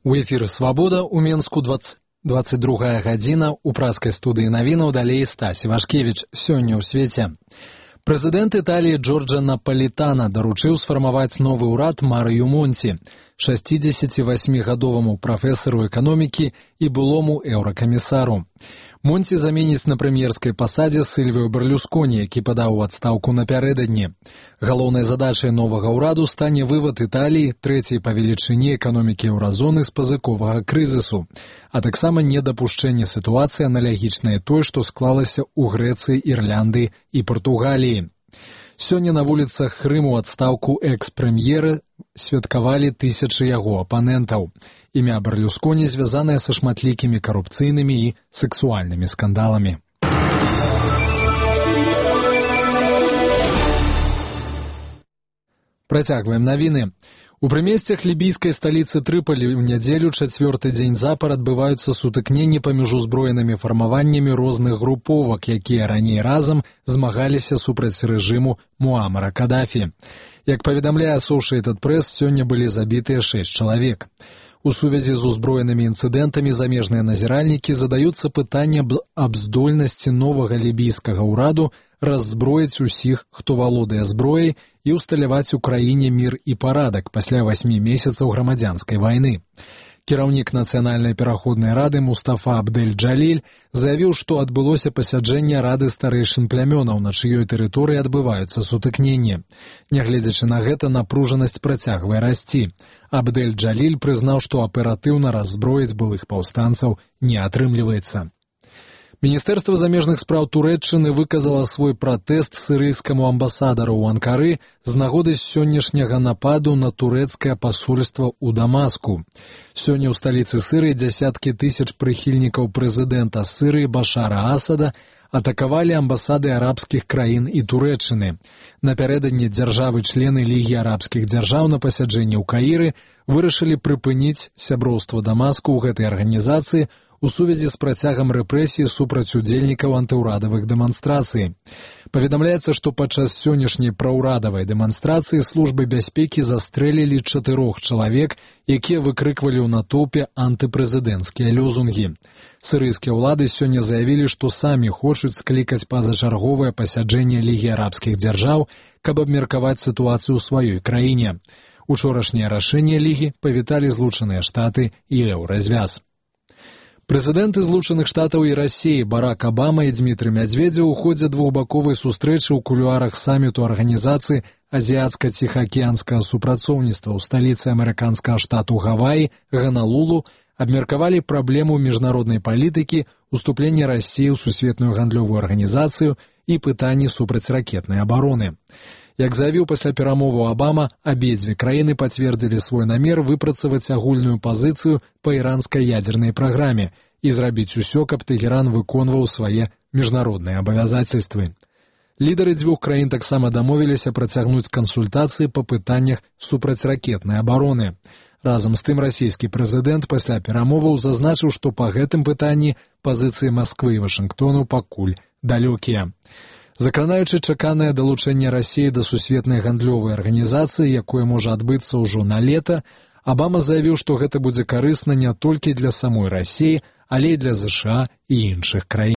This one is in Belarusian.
У эфіры «Свабода» ў Менску 22 гадзіна. У праскай студыі навінаў далей Стась Івашкевіч. Сёння ў свеце. Прэзідэнт Італіі Джорджа Напалітана даручыў сфармаваць новы ўрад Марыю Монці, 68-гадоваму прафесару эканомікі і былому еўракамісару. Монці заменіць на прэм'ерскай пасадзе Сільвіо Берлюсконі, які падаў у адстаўку напярэдадні. Галоўнай задачай новага ўраду стане вывад Італіі, трэцяй па велічыні эканомікі еўразоны, з пазыковага крызісу, а таксама недапушчэнне сітуацыі аналагічнай той, што склалася ў Грэцыі, Ірландыі і Партугаліі. Сёння на вуліцах Рыму адстаўку экс-прэм'ера святкавалі тысячы яго апанентаў. Імя Берлюсконі звязанае са шматлікімі карупцыйнымі і сексуальнымі скандаламі. Працягваем навіны. У прымесцях лібійскай сталіцы Трыполі ў нядзелю чацвёрты дзень запар адбываюцца сутыкненні паміж узброенымі фармаваннямі розных груповак, якія раней разам змагаліся супраць рэжыму Муамара Кадафі. Як паведамляе Associated Press, сёння былі забітыя 6 чалавек. У сувязі з узброенымі інцыдэнтамі замежныя назіральнікі задаюцца пытанне аб здольнасці новага лібійскага ўраду раззброіць усіх, хто валодае зброяй, і ўсталяваць у краіне мір і парадак пасля 8 месяцаў грамадзянскай вайны. Кіраўнік Нацыянальнай пераходнай рады Мустафа Абдэль-Джаліль заявіў, што адбылося пасяджэнне рады старэйшын плямёнаў, на чыёй тэрыторыі адбываюцца сутыкненні. Нягледзячы на гэта, напружанасць працягвае расці. Абдэль-Джаліль прызнаў, што аператыўна раззброіць былых паўстанцаў не атрымліваецца. Міністэрства замежных спраў Турэччыны выказала свой пратэст сірыйскаму амбасадару ў Анкары з нагоды сённяшняга нападу на турэцкае пасольства ў Дамаску. Сёння ў сталіцы Сірыі дзясяткі тысяч прыхільнікаў прэзідэнта Сірыі Башара Асада атакавалі амбасады арабскіх краін і Турэччыны. Напярэдадні дзяржавы-члены Лігі арабскіх дзяржаў на пасяджэнні ў Каіры вырашылі прыпыніць сяброўства Дамаску ў гэтай арганізацыі у сувязі з працягам рэпрэсій супраць удзельнікаў антыўрадавых дэманстрацый. Паведамляецца, што падчас сённяшняй праўрадавай дэманстрацыі службы бяспекі застрэлілі 4 чалавек, якія выкрыквалі ў натоўпе антыпрэзідэнцкія лёзунгі. Сірыйскія ўлады сёння заявілі, што самі хочуць склікаць пазачарговае пасяджэнне Лігі арабскіх дзяржаў, каб абмеркаваць сітуацыю ў сваёй краіне. Учорашняе рашэнне Лігі павіталі Злучаныя Штаты і Еўразвяз. Прэзідэнты Злучаных Штатаў і Расіі Барак Абама і Дзмітрый Мядзведзеў у ходзе двухбаковай сустрэчы ў кулуарах саміту арганізацыі азіяцка-ціхаакіянскага супрацоўніцтва ў сталіцы амерыканскага штату Гаваі, Ганалулу, абмеркавалі праблему міжнароднай палітыкі, уступлення Расіі ў сусветную гандлёвую арганізацыю і пытанні супрацьракетнай абароны. Як заявіў пасля перамоваў Абама, абедзве краіны пацвердзілі свой намер выпрацаваць агульную пазіцыю па іранскай ядзернай праграме і зрабіць усё, каб Тэгеран выконваў свае міжнародныя абавязацельствы. Лідары дзвюх краін таксама дамовіліся працягнуць кансультацыі па пытаннях супрацьракетнай абароны. Разам з тым расійскі прэзідэнт пасля перамоваў зазначыў, што па гэтым пытанні пазіцыі Масквы і Вашынгтону пакуль далёкія. Закранаючы чаканае далучэнне Расіі да сусветнай гандлёвай арганізацыі, якое можа адбыцца ўжо на лета, Абама заявіў, што гэта будзе карысна не толькі для самой Расіі, але і для ЗША і іншых краін.